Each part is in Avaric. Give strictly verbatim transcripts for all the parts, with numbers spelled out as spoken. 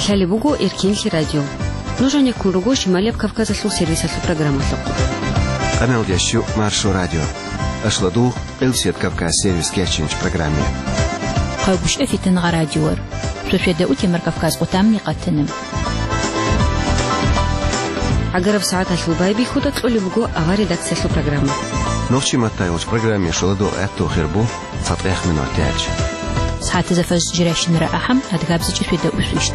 Лъалеб буго Эркенлъи радио. Нуж гьанеккун руго Шималияб Кавказалъул сервисалъул программалъухъ. Къамелдящу Маршо радио. Ашладу Къилсият Кавказ сервис кечинч программе. Хъайбушев Фитангъа радиор. Сосиеда утемар Кавказ къутамни къатана. ГӀагараб сагӀаталъул байбихьуда кьолеб буго авар редакциялъул программа. Нохчи маттайгъуч программе шоладо гӀатту хирбу цатӀех минут тяч. СагӀатазда фаз жиращинара ахӀам, адгабзичӀи сосиеда усвищт.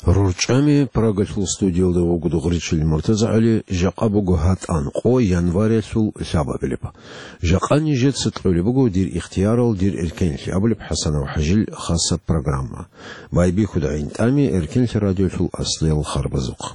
РорчӀами Прагалъул студиялда вуго Дугъричил МуртазагӀали, жакъа буго гьатӀан къо январялъул лъабабилеб. Жакъа нижеца кьолеб буго дир ихтиярал, дир эркенлъи абулеб ХӀасанов ХӀажил хасаб программа. Байбихьуда гӀинтӀами Эркенлъи радиолъул аслиял харбазухъ.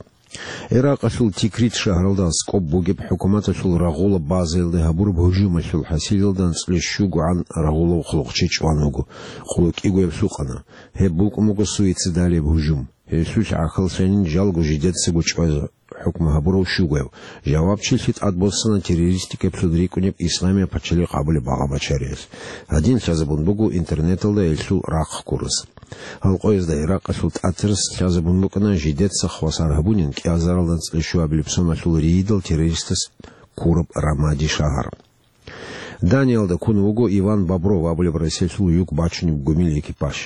Иракъалъул Тикрит шагьаралда аскӀоб бугеб хӀукуматалъул рагъулаб базаялде гьабураб гьужумалъул хӀасилалда анцӀила щугогӀан рагъулав хъулухъчи чӀван вуго, къуло кӀигояб лъукъана. Гьеб букӀун буго суицидалияб гьужум. Гьелъулъ гӀахьаллъанин жалго жидецаго чӀвазе хӀукму гьабурав щугояв. Жавабчилъи тӀадбоссана террористикаб суд рикӀкӀунеб Исламияб пачалихъ абулеб багъа-бачариялъ. Гьадин лъазабун буго интернеталда гьелъул рахъ ккурас. Гьал къоязда Иракъалъул тӀатарас лъазабун букӀана жидеца хвасар гьабунин кӀиазаралда анцӀила щуабилеб соналъул рийидал террористас ккураб Рамади шагьар. Даниялда ккун вуго Иван Бобров абулеб Россиялъул юг бачунеб гумил экипаж.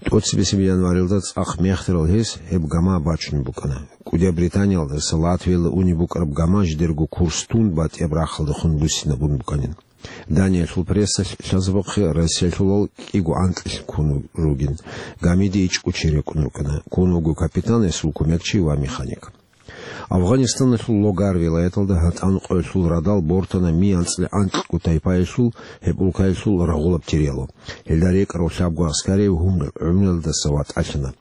ТӀоцебесеб январилда цӀакъ мехтарал гьес гьеб гама бачунеб букӀана. КӀудияб Британиялдаса Латвиялда унеб букӀараб гама жидерго курс тун батӀияб рахъалдехун буссинабун букӀанин. Даниялъул прессалъ лъазабухъе Россиялъулал кӀиго анкьилъ ккун ругин. Гамида ичӀго чи рекӀун рукӀана. Ккун вуго капитан, гьесул кумекчи ва механик. Афгъанистаналъул Логар вилаяталда гьатӀан къоялъул радал бортана ми анцӀила анкьго тайпаялъул, гьеб улкаялъул рагъулаб теряло. Гьелда рекӀарав лъабго аскари гьумрал гӀумруялдаса ватӀалъана.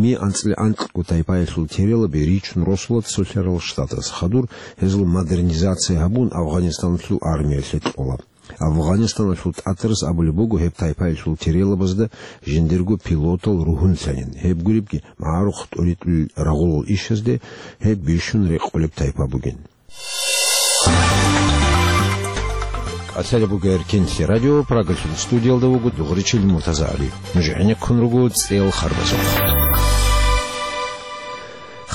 Ми анцӀила анкьго тайпаялъул терялаби ричун росула цолъарал штатас. Хадур гьезул модернизация гьабун, Афгъанистаналъул армиялъе кьола. Афгъанистаналъул тӀатарас абулеб буго гьеб тайпаялъул терялабазда жиндирго пилотал ругьунлъанин. Гьеб гуребги, магӀарухъ тӀуритӀулел рагъулал ишазде гьеб бищун рекъолеб тайпа бугин. КӀалъалеб буго Эркенлъи радио, Прагалъул студиялда вуго Дугъричил МуртазагӀали. Нуж гӀенеккун руго цӀел харбазухъ.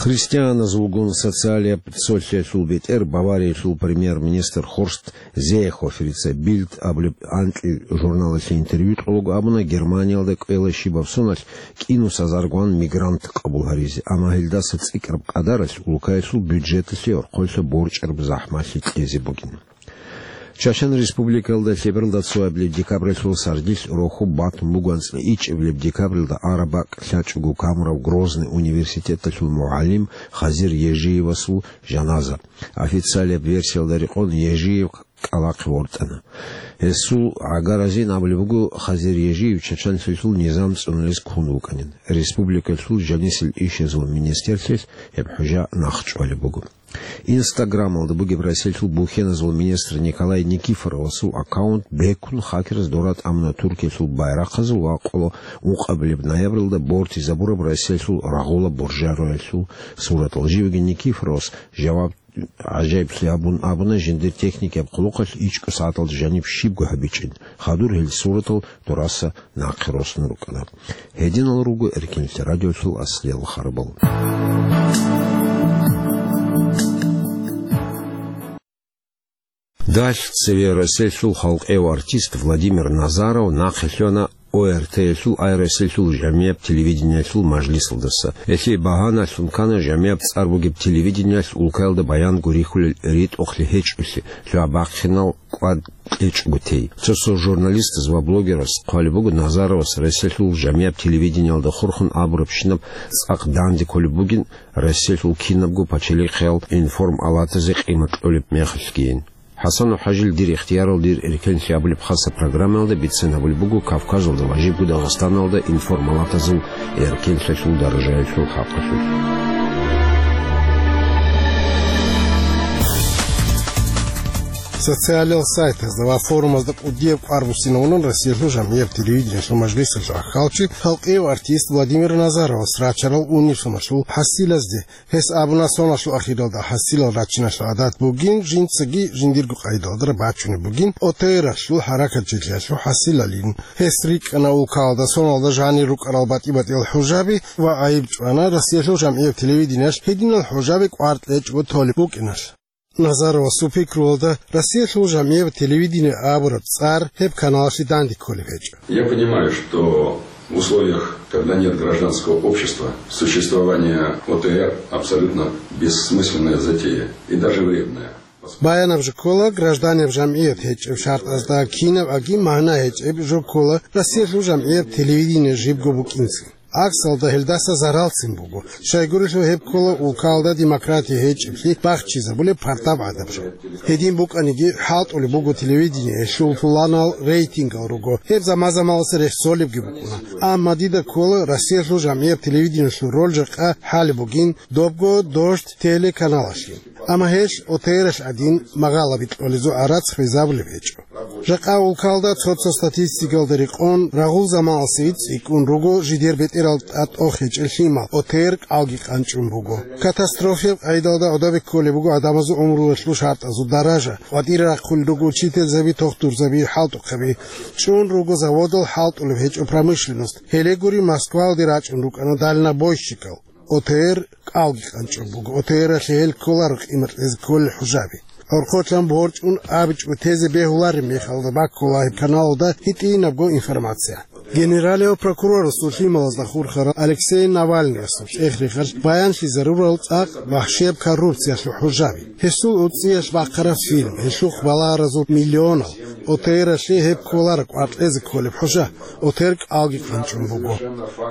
Христианазулгун социалияб цолъиялъул бетӀер Бавариялъул премьер-министр Хорст Зеехоферица Бильд абулеб анкьил журналалъе интервью кьолаго абуна, Германиялда кӀвела щибаб соналъ кӀинусаз аргван мигрант къабул гьаризе, амма гьелдаса цӀикӀкӀараб къадаралъ улкаялъул бюджеталъе орхъолъа борчӀараб захӀмалъи кьезе бугин. Чачан Республикаялда лъебералда цоабилеб декабралъул сардилъ рохьуб батун буго анцӀила ичӀабилеб декабралда араб бакӀ лъачӀого камурав Грозный университеталъул мугӀалим Хазир Ежиевасул жаназа. Официалияб версиялда рекъон Ежиев кӀкӀалахъе вортӀана. Гьесул гӀагаразин абулеб буго, Хазир Ежиев чачанлъиялъул низам цӀунулез ккун вукӀанин. Республикалъул жанисел ишазул министрлъиялъ гьеб хӀужа нахъчӀвалеб буго. Инстаграмалда бугеб Россиялъул бухьеназул министр Николай Никифоровасул аккаунт бекун хакераз доратӀа амуна Туркиялъул байрахъазул ва къоло ункъабилеб ноябралда бортизабураб Россиялъул рагъула буржароялъул суратал. Живги Никифоровас жаваб гӀажаиблъи гьабун абуна, жиндир техникияб хъулухъалъ ичӀго сагӀаталда жаниб щибго гьабичӀин. Хадур гьел суратал дораса нахъе росун рукӀана. Гьединал руго Эркенлъи радиолъул аслиял харбал. Далъ цеве Россиялъул халкъияв артист Владимир Назаров нахъе лъугьана О Р Т-ялъул, ай Россиялъул жамияб телевидениялъул мажлисалдаса. Гьелъие багьаналъун ккана жамияб цӀар бугеб телевидениялъ улкаялда баян гурихьулел ритӀухълъи гьечӀолъи, лъугьа-бахъинал кӀвар кьечӀого тей. Цо-цо журналистаз ва блогераз хъвалеб буго, Назаровас Россиялъул жамияб телевидениялда хурхун абурабщинаб цӀакъ данде кколеб бугин, Россиялъул кинабго пачалихъиял информалатазе къимат кьолеб мехалъгийин. ХӀасанов ХӀажил «Дир ихтиярал, дир эркенлъи» абулеб хасаб программаялда бицен гьабулеб буго Кавказалда ва жибго Дагъистаналда информалатазул эркенлъиялъул даражаялъул хӀакъалъулъ. Социалияб сайтазда ва форумазда кӀудияб кӀвар буссинавунан Россиялъул жамгӀияб телевидениялъул мажлисалъул ахӀалчи, халкъияв артист Владимир Назаровас рачарал униб соналъул хӀасилазде. Гьес абуна, соналъул ахиралда хӀасилал рачиналъул гӀадат бугин, жинцаги жиндирго къайдалда бачунеб бугин, ОТР-алъул хӀаракатчилъиялъул хӀасилалин. Гьес рикӀкӀана улкалда соналда жанир рукӀарал батӀи-батӀиял хӀужаби ва гӀайиб чӀвана Россиялъул жамгӀияб телевидениялъ гьединал хӀужаби кӀвар кьечӀого толеб букӀиналъ. Назаровасул пикруялда, Россиялъул жамгӀияб телевидение абураб цӀар гьеб каналалъе данде кколеб гьечӀо. Я понимаю, что в условиях, когда нет гражданского общества, существование ОТР абсолютно бессмысленная затея и даже вредная. Баянаб жо ккола, гражданиял жамгӀият гьечӀеб шартӀазда кинаб аги магӀна гьечӀеб жо ккола, Россиялъул жамгӀияб телевидение жибго букӀинцин. ГӀаксалда гьелдаса заралцин буго. Щайгурелъул гьеб ккола улкалда демократия гьечӀеблъи бахчизабулеб пардаб гӀадаб жо. Гьедин букӀаниги, хӀалтӀулеб буго телевидение, гьелъул пуланал рейтингал руго, гьеб заман-заманалъ рехсолебги букӀуна. Амма дида ккола, Россиялъул жамгӀияб телевидениялъул роль жакъа хӀалеб бугин, добго Дождь телеканалалъе. Амма гьелъ ОТР-алъ гӀадин магъала бикьулезул гӀарац хвезабулеб гьечӀо. Жакъа улкалда цо-цо статистикалда рекъон, рагъул заманалъ цӀикӀкӀун руго жидер бетӀерал тӀатӀохечӀел лъимал, ОТР кӀалги къанчӀун буго. Катастрофияб къайдалда гӀодобе кколеб буго гӀадамазул гӀумруялъул шартӀазул даража, къватӀире рахъулел руго учительзаби, тухтурзаби, хӀалтӀухъаби. ЧӀун руго заводал, хӀалтӀулеб гьечӀо промышленность. Гьеле гури, Москваялде рачӀун рукӀана дальнобойщикал. ОТР кӀалги къанчӀун буго. ОТР-алъе гьел кколаро къимат кьезе кколел хӀужаби. ГӀорхъолъан борчӀун абичӀого тезе бегьулареб мехалда баккула гьеб каналалда гьитӀинабго информация. Генералияв прокурорасул лъималазда хурхарал Алексей Навальныясул чӀех-рехалъ баянлъизарурал цӀакъ вахщияб коррупциялъул хӀужаби. Гьесул уцӀцӀиялъ бахъараб фильм, гьелъухъ балагьаразул миллионал, ОТР-алъе гьеб кколаро кӀвар кьезе кколеб хӀужа, ОТР кӀалги къанчӀун буго.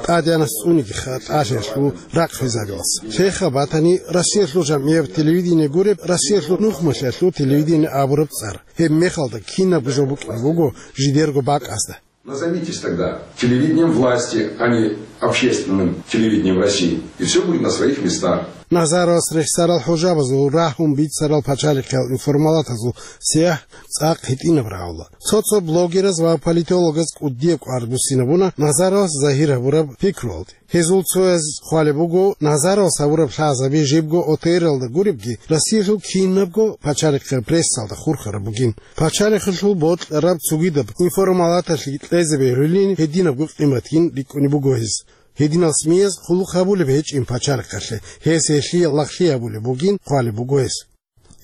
ТӀадегӀанас цӀунигиха тӀалъиялъул рахъ хвезабилалса. Лъеха батани, Россиялъул жамгӀияб телевидение гуреб, Россиялъул нухмалъиялъул телевидение абураб цӀар. Гьеб мехалда кинабго жо букӀине буго жидерго бакӀазда. Назовитесь тогда телевидением власти, а не общественным телевидением России. И все будет на своих местах. Назаровас рехсарал хӀужабазул рагьун бицарал пачалихъиял информалатазул сияхӀ цӀакъ гьитӀинаб рагӀула. Цо-цо блогераз ва политологаз кӀудияб кӀвар буссинабуна Назаровас загьир гьабураб пикруялде. Гьезул цояз хъвалеб буго, Назаровас гьабураб лъазаби жибго ОТР-алда гуребги, Россиялъул кинабго пачалихъе прессалда хурхараб бугин. Пачалихъалъул бокьараб цогидаб информалаталъе кьезе бегьулин гьединабго къиматгин рикӀкӀунеб буго гьез. Гьединал СМИ-яз хъулухъ гьабулеб гьечӀин пачалихъалъе, гьес гьелъие лагълъи гьабулеб бугин хъвалеб буго гьес.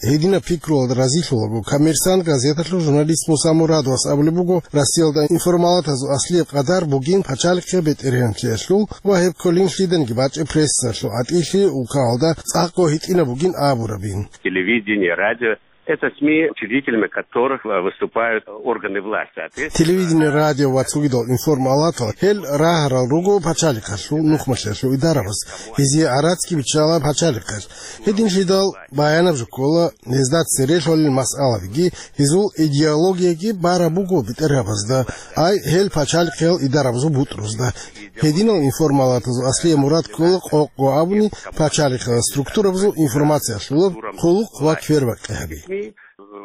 Гьединаб пикруялда разилъулаго, Коммерсант газеталъул журналист Муса Мурадовас абулеб буго, Россиялда информалатазул аслияб къадар бугин пачалихъе бетӀергьанлъиялъул ва гьеб кколин лъиданиги бачӀеб прессалъул гӀатӀилъи улкалда цӀакъго гьитӀинаб бугин абурабин. Телевидение, радио — это СМИ, учредителями которых, э, выступают органы власти. Соответственно, телевидение, радио ва цогидал информалатал гьел рагьарал руго пачалихъалъул нухмалъиялъул идарабаз. Гьезие гӀарацги биччала пачалихъалъ. Гьединлъидал баянаб жо ккола, гьезда цере лъолел масъалабиги, гьезул идеологияги бараб буго бетӀергьабазда, ай, гьел пачалихъиял идарабазул бутӀрузда. Гьединал информалатазул аслияб мурад ккола, къокъго абуни, пачалихъиял структурабазул информациялъулаб хъулухъ ва квербакъи гьаби.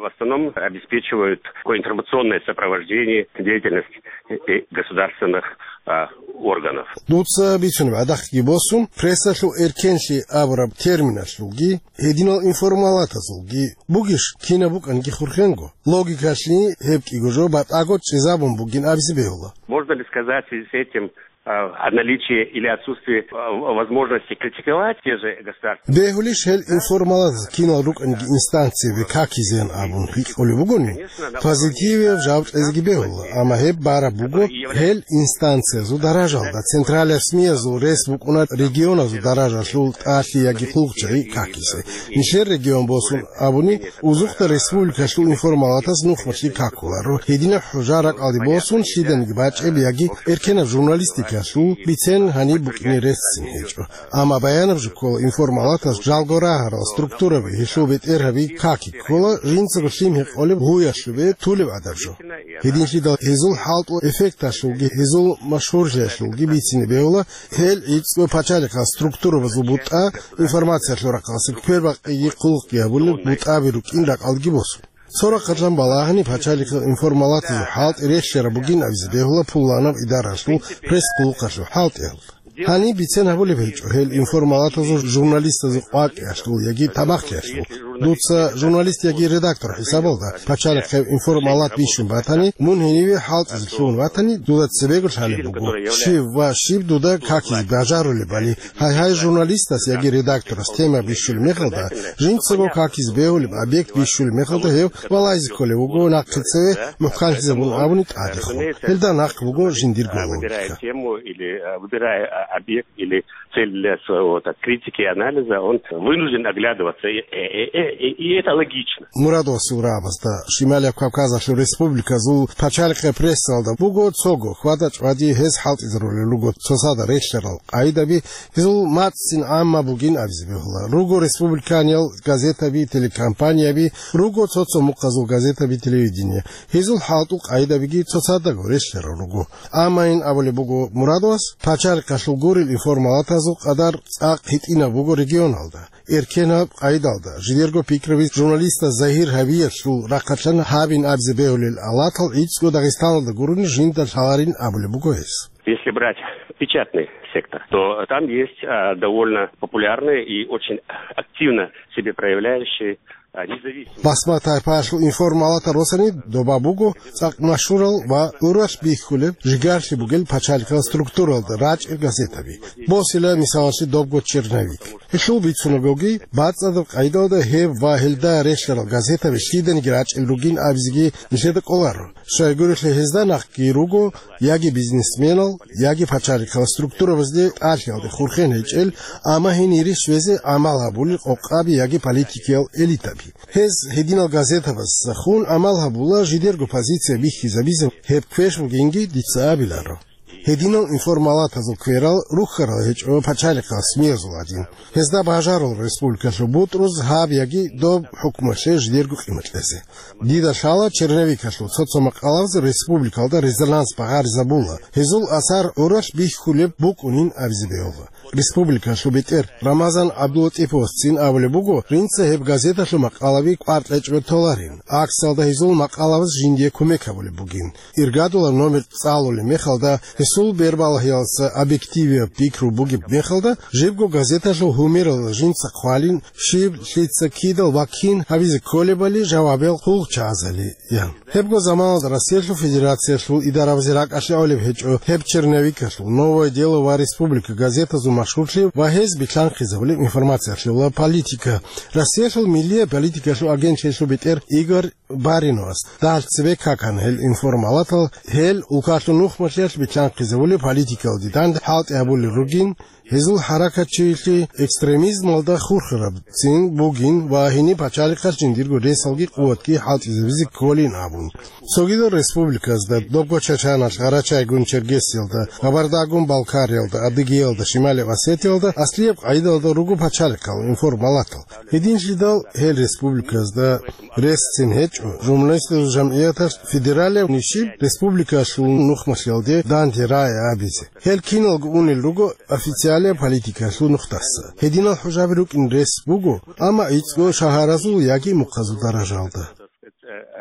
В основном обеспечивают такое информационное сопровождение деятельности, э, государственных, а, органов. Дуца бицунеб гӀадахъги босун, прессалъул эркенлъи абураб терминалъулги, гьединал информалатазулги бугищ кинаб букӀанги хурхенго. Логикалъни гьеб кӀиго жо батӀаго чӀезабун бугин абизе бегьула. Можно ли сказать в связи с этим, а, о наличии или отсутствии, а, возможности критиковать те же государственные? Бегьулищ гьел информалатаз кинал рукӀанги инстанциябе какизеян абун гьикъулеб бугони, позитивияб жаваб кьезеги бегьула, амма гьеб бараб буго гьел инстанциязул даражалда, централияб СМИ-язул рес букӀуна регионазул даражалъул тӀалъи яги хъулухъчагӀи какизе. Нилъер регион босун абуни, узухъда республикалъул информалатаз нухмалъи какуларо. Гьединаб хӀужа ракӀалде босун лъиданиги бачӀеб яги эркенаб журналистикалъул бицен гьаниб букӀине реццин гьечӀо. Амма баянаб жо ккола, информалатаз жалго рагьарал структураби, гьелъул бетӀергьаби каки ккола, жинцаго лъим гьекъолеб гьуялъубе тулеб гӀадаб жо. Гьединлъидал гьезул хӀалтӀул эффекталъулги, гьезул машгьурлъиялъулги бицине бегьула, гьел гӀицӀго пачалихъал структурабазул бутӀа, информациялъул рахъалъе квербакъиги хъулухъги гьабулел бутӀаби рукӀин ракӀалдеги босун. Цо рахъалъан балагьани, пачалихъал информалатазул хӀалтӀи релълъараб бугин абизе бегьула пуланаб идаралъул пресс-къулухъалъул хӀалтӀиялда. Гьаниб бицен гьабулеб гьечӀо гьел информалатазул журналистазул къвакӀиялъул яги тамахлъиялъул. Дуца журналист яги редактор хӀисабалда пачалихъе информалат бищун батани, мун гьениве хӀалтӀизе лъугьун ватани, дуда цебего лъалеб буго, щив ва щиб дуда какизе бажарулебали. Гьай-гьай, журналистас яги редакторас тема бищулеб мехалда, жинцаго какизе бегьулеб объект бищулеб мехалда, гьев валайзе кколев вуго нахъе цеве, мухӀканлъизабун абуни тӀадехун. Гьелда нахъ буго жиндирго логика. Тему или, э, выбирая, а, объект или цель для своего, так, критики и анализа, он вынужден оглядываться. И, и, и, и, и это логично. Мурадовасул рагӀабазда Шималияб Кавказалъул республиказул пачалихъе прессалда буго цого хьвада-чӀвади гьез хӀалтӀизарулел руго цоцазда релълъарал къагӀидаби, гьезул мацӀцӀин гӀамма бугин абизе бегьула. Руго республиканиял газетаби, телекомпанияби, руго цо-цо мухъазул газетаби, телевидение. Гьезул хӀалтӀул къагӀидабиги цоцадаго релълъарал руго. Амма ин абулеб буго Мурадовас, пачалихъалъул гурел информалатазул къадар цӀакъ гьитӀинаб буго регионалда. Эркенаб къагӀидалда, жидерго пикруби журналистас загьир гьабиялъул рахъалъан гьабин абизе бегьулел алатал гӀицӀго Дагъистаналда гурони жинда лъаларин абулеб буго гьес. Если брать печатный сектор, то там есть, а, довольно популярные и очень активно себе проявляющие, а, независимые. Басма-тайпаялъул информалатал росани доба буго цӀакъ машгьурал ва гӀуралъ бихьулеб, жигарлъи бугел пачалихъал структуралда рачӀел газетаби. Босила мисалалъе добго «Черновик». Гьелъул бицунагоги, бацӀцӀадаб къагӀидалда гьеб ва гьелда релълъарал газетаби лъиданиги рачӀел ругин абизеги нилъеда кӀоларо. Щайгурелъул гьезда нахъги руго яги бизнесменал, яги пачалихъал структурабазде тӀалъиялде хурхен гьечӀел, амма гьенире щвезе гӀамал гьабулел къокъаби яги политикиял элитаби. Гьез гьединал газетабазда хун гӀамал гьабула жидерго позиция бихьизабизе, гьеб квеш бугинги дица абиларо. Гьединал информалатазул кверал рухьарал гьечӀо пачалихъал СМИ-язул гӀадин. Гьезда бажарул республикалъул бутӀруз гьаб яги доб хӀукмалъе жидерго къимат кьезе. Дида лъала черновикалъул цо-цо макъалабаз республикалда резонанс багъаризабула, гьезул асар гӀуралъ бихьулеб букӀунин абизе бегьула. Республикалъул бетӀер Рамазан ГӀабдулатӀиповасцин абулеб буго, жинца гьеб газеталъул макъалаби кӀвар кьечӀого толарин, аксалда гьезул макъалабаз жиндие кумек гьабулеб бугин. Иргадулаб номер цӀалулеб мехалда, гьесул бербалагьиялдаса объективияб пикру бугеб мехалда, жибго газеталъул гьумералда жинца хъвалин, щиб, лъица, кидал ва кин гьабизе кколебали жавабиял хъулчагӀазали, ян. Гьебго заманалда Россиялъул Федерациялъул идарабазе ракӀалъе гӀолеб гьечӀо гьеб черновикалъул «Новое дело» ва «Республика» газетазул машгьурлъи ва гьез билъанхъизабулеб информациялъула политика. Россиялъул миллияб политикалъул агентлъиялъул бетӀер Игорь Бариновас дагьалъ цебе какана гьел информалатал, гьел улкалъул нухмалъиялъ билъанхъизабулеб политикалде данде хӀалтӀи гьабулел ругин, гьезул хӀаракатчилъи экстремизмалда хурхарабцин бугин ва гьениб пачалихъалъ жиндирго ресалги къуватги хӀалтӀизабизе кколин абун. Цогидал республиказда, добго Чачаналъ, Гъарачайгун Чергесиялда, Кабардагун Балкариялда, Адыгеялда, Шималияб Осетиялда аслияб къагӀидалда руго пачалихъал информалатал. Гьединлъидал гьел республиказда ресцин гьечӀо журналистазул жамгӀияталъ федералияб нишиб республикалъул нухмалъиялде данде рагӀи абизе. Гьел киналго унел руго официалияб политикалъул нухдаса. Гьединал хӀужаби рукӀин рес буго, амма гӀицӀго шагьаразул яги мухъазул даражалда.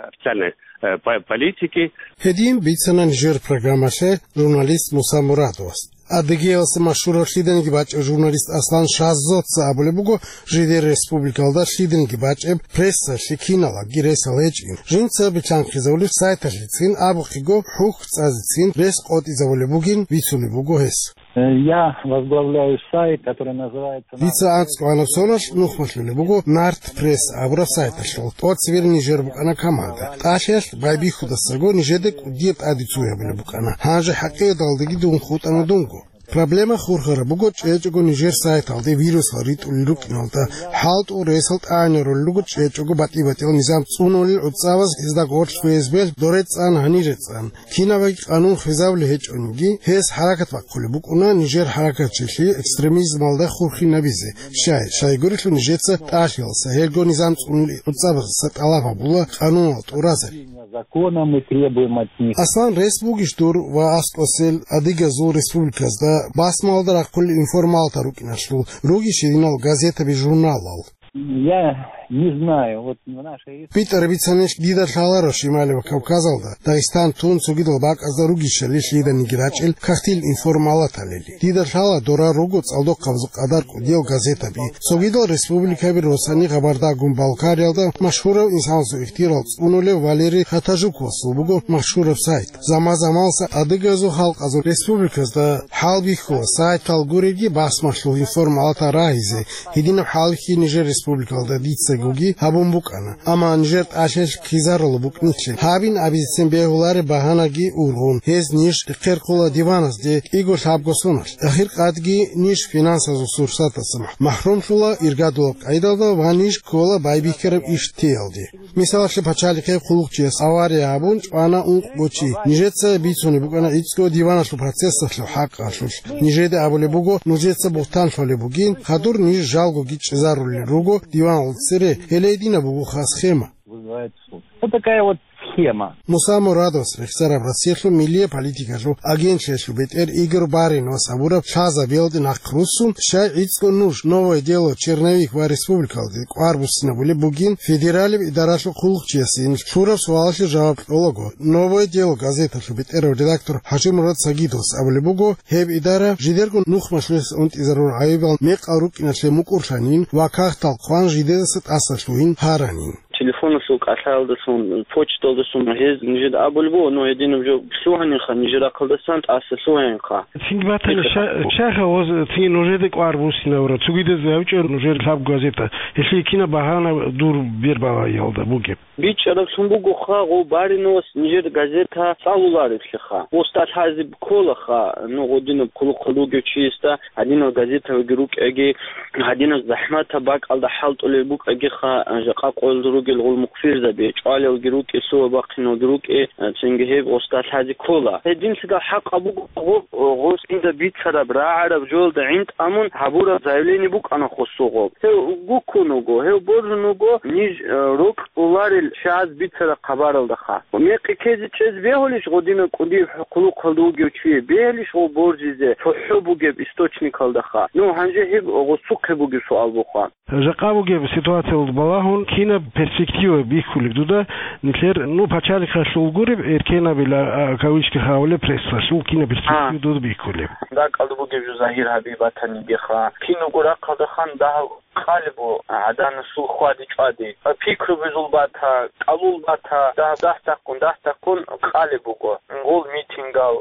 Официальной, э, по-, политики. Гьедин бицана нижер программалъе журналист Муса Мурадовас. Адыгеялъа машгьурав лъиданиги бачӀев журналист Аслан Шаззоца абулеб буго, жидер республикалда лъиданиги бачӀеб прессалъе киналаги ресал гьечӀин. Жинца билъанхъизабулеб сайталъецин абухъего хӀухь цӀазецин рес къотӀизабулеб бугин бицунеб буго гьес. Э, я возглавляю сайт, который называется Дица анцӀго гьанаб соналъ нухмалъулеб буго Нарт Пресс абураб сайталъул. ТӀоцебе нижер букӀана команда. ТӀалъиялъ байбихьудасаго нижеда кӀудияб тӀаде цуябилеб букӀана. Гьанже хӀакъиялдаги дун хутӀана дунго. Проблема хурхараб буго чӀечӀого нижер сайталде вирусал ритӀулел рукӀиналда, хӀалтӀул ресал тӀагӀинарулел руго чӀечӀого батӀи-батӀиял низам цӀунулел гӀуцӀабаз гьезда гъорлъ ФСБ-лъ доре цӀан, гьанире цӀан. Кинабаги къанун хвезабулеб гьечӀониги, гьес хӀаракат бахъулеб букӀуна нижер хӀаракатчилъи экстремизмалда хурхинабизе. Щай, щайгурелъул нижеца тӀалъиялдаса, гьелго низам цӀунулел гӀуцӀабаздаса тӀалаб гьабула къануналда тӀуразари. Законом мы требуем от них. Аслан, рес бугищ дур ва аскӀосел адыгазул республиказда басмалда рахъулел информалатал рукӀиналъул, ругищ гьединал газетаби-журналал? Я Не знаю, вот в нашей республике. БитӀараб бицанилъ дида лъаларо Шималияб Кавказалда, Дагъистан тун цогидал бакӀазда ругищали лъиданиги рачӀел кагътил информалаталили. Дида лъала дора руго цӀалдохъабазул къадар кӀудиял газетаби. Цогидал республикаби росани Габардагун Балкариялда машгьурав инсанасул ихтияр цӀунулев Валерий Хатажуковасул буго машгьураб сайт. Заман-заманалъ адыгазул халкъазул республиказда хӀал бихьула сайтал гуребги басмалъул информалатал рагьизе, гьединаб хӀалихьи нижер республикалда дицагоги гьабун букӀана, амма нижер тӀалъиялъ ккезарулеб букӀин нилъ. Гьабин абизецин бегьулареб багьанаги ургъун, гьез ниж рехсерхъула диваназде кӀиго-лъабго соналъ. Ахиркъадги ниж финансазул сурсаталъа махӀрумлъула иргадулаб къайдалда ва ниж ккола байбихьараб иш теялде. Мисалалъе, пачалихъе хъулухъчияс авария гьабун чӀвана ункъго чи. Нижеца бицунеб букӀана гӀицӀго диваналъул процессалъул хӀакъалъулъ. Нижеда абулеб буго, нужеца бугьтан лъолеб бугин, хадур ниж жалгоги чӀезарулел руго диваналда цере, гьеле гьединаб бугоха схема. Вызывает суд. Вот такая вот схема. Муса Мурадовас рехсараб Россиялъул миллияб политикалъул агентлъиялъул бетӀер Игорь Бариновас абураб лъазабиялде нахъ руссун, щай гӀицӀго нуж, Новое дело, Черновик ва республикалде кӀвар буссинабулеб бугин, федералияб идаралъул хъулухъчиясин лъураб суалалъе жаваб кьолаго, Новое дело газеталъул бетӀерав редактор ХӀажимурад Сагидовас абулеб буго, гьеб идара жидерго нухмалъулъ унтӀизарурал гӀайибал мекъал рукӀиналъе мукӀурлъанин ва кагътал хъван жидедаса тӀаса лъугьин гьаранин. Телефоналъул кӀалъаялдалъун, почталдалъун гьез нижеда абулеб буго, но гьединаб жо лъугьанинха, нижер рахъалдасан тӀаса лъугьанинха. Цинги батани, ша-, шайха гъоз цинги нужеда кӀвар буссинавра, цогидаз гьавичӀо нужер лъабго газета, гьелъие кинаб багьана дур бербалаялда бугеб? БичӀчӀараблъун бугоха, гъов Бариновас нижер газета цӀалулареблъиха. Устал лъазе кколаха, ну, гъодинаб хъулухъал ругев чиясда гьадинал газетаги рукӀаги, гьадинаб захӀматаб бакӀалда хӀалтӀулел букӀагиха, жакъа къоялда ругел гъул мухъфирзаби, чӀвалелги рукӀе, лъугьа-бахъиналги рукӀе, цинги гьеб гъосда лъазе ккола. Гьединлъидал хӀакъаб буго гъоб, гъос инда бицараб, рагӀараб жоялда гӀинтӀамун гьабураб заявление букӀана хосугъоб. Гьев гуккун вуго, гьев боржун вуго ниж, э, рокьуларел чияз бицараб хабаралдаха. Мекъи ккезе чӀезе бегьулищ гъодинаб кӀудияб хъулухъалда вугев чи, бегьулищ гъов боржизе цохӀо бугеб источникалдаха? Ну, гьанже гьеб гъосухъе бугеб суал буха. Жакъа бугеб ситуациялда балагьун, кинаб перспектива бихьулеб дуда, нилъер, ну, пачалихъалъул гуреб, эркенабила, а, кавычкаха абулеб, прессалъул кинаб перспектива А. дуда бихьулеб? ДакӀалда бугеб жо загьир гьаби батанигеха. Кинабго рахъалдахан дагьаб къалеб бу гӀаданасул хьвади-чӀвади. Пикру бузул бата, кӀалул бата, дагь-, дагь-таккун, дагь-таккун къалеб буго. Гъол митингал,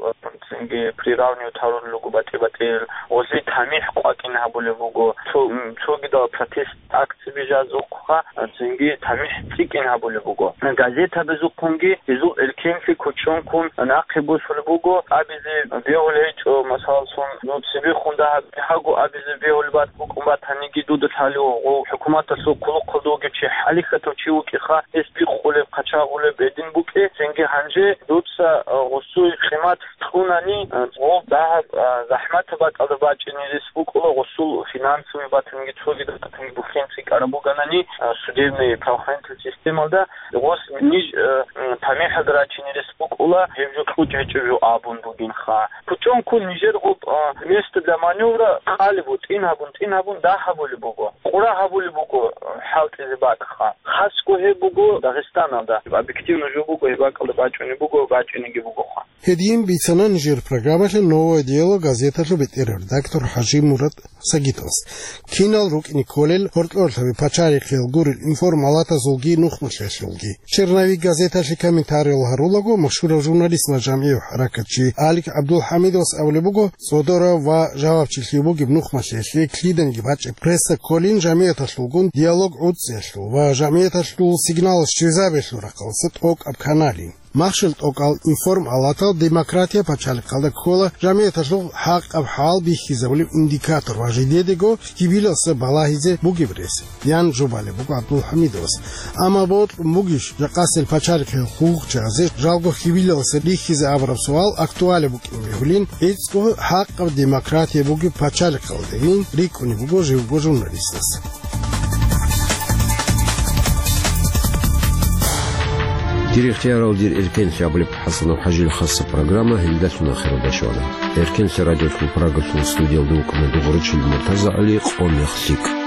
цинги приравнивать гьарулел руго батӀи-батӀиял, гъозие тамихӀ къвакӀин гьабулеб буго, цо-, м, цогидал протест акцияби жазухъа, цинги тамихӀ цӀикӀкӀин гьабулеб буго. Газетабазухъунги гьезул эркенлъи кучӀунккун нахъе босулеб буго, абизе бегьулеб гьечӀо, масалалъун, ну, цебехун дагьаб бигьаго абизе бегьулеб бат-, букӀун батаниги дуда лъалев гъов хӀукуматалъул хъулухъалда вугев чи хӀалихьатав чи вукӀиха, гьес бикъулеб, хъачагъулеб гьедин букӀи, цинги гьанже дуца, а, гъосул къимат кьунани, а, гъов дагьаб, а, захӀматаб бакӀалда бачӀине рес букӀула, гъосул финансовый батанги цогидал батанги бухӀен цӀикӀкӀараб буганани, а, судебный правоохранительный системалда гъос ниж, а, м, тамихӀалда рачине рес букӀула, гьеб жо кьучӀ гьечӀеб жо абун бугинха. КучӀунккун нижер гъоб, а, место для маневра къалеб бу, тӀин гьабун, тӀин гьабун дагь гьабулеб буго. Къура гьабулеб буго, а, хӀалтӀизе бакӀха. Хасго гьеб буго Дагъистаналда. Объективно жо буго, гьеб бакӀалда бачӀунеб буго, бачӀинеги бугоха. Гьедин бицана нижер программалъе «Новое дело» газеталъул бетӀерав редактор ХӀажимурад Сагитовас. Кинал рукӀине кколел гьоркьорлъаби пачалихъиял гурел информалатазулги нухмалъиялъулги. «Черновик» газеталъе комментариял гьарулаго, машгьурав журналист ва жамгӀияв хӀаракатчи Алик ГӀабдулхӀамидовас абулеб буго, цӀодорав ва жавабчилъи бугеб нухмалъиялъе лъиданиги бачӀеб пресса кколин жамгӀияталъулгун диалог гӀуцӀиялъул ва жамгӀияталъул сигналал щвезабиялъул рахъалъа тӀокӀаб каналин. Махщел тӀокӀал информалатал демократия пачалихъалда ккола жамгӀияталъул хӀакъаб хӀал бихьизабулеб индикатор ва жидедаго хьибилалъа балагьизе бугеб рес, ян жубалеб буго ГӀабдулхӀамидовас. Амма бокьун бугищ жакъасел пачалихъиял хъулухъчиязе жалго хьибилалъа рихьизе абураб суал актуалеб букӀин бегьулин, гӀицӀго хӀакъаб демократия бугеб пачалихъалдегин рикӀкӀунеб буго живго журналистас. Дир ихтиярал, дир эркенлъи абулеб ХӀасанов ХӀажил хасаб программа гьелдалъун ахиралда щвана. Эркенлъи радиолъул Прагалъул студиялда вукӀана дугӀурчил МуртазагӀали, къо мех лъикӀ.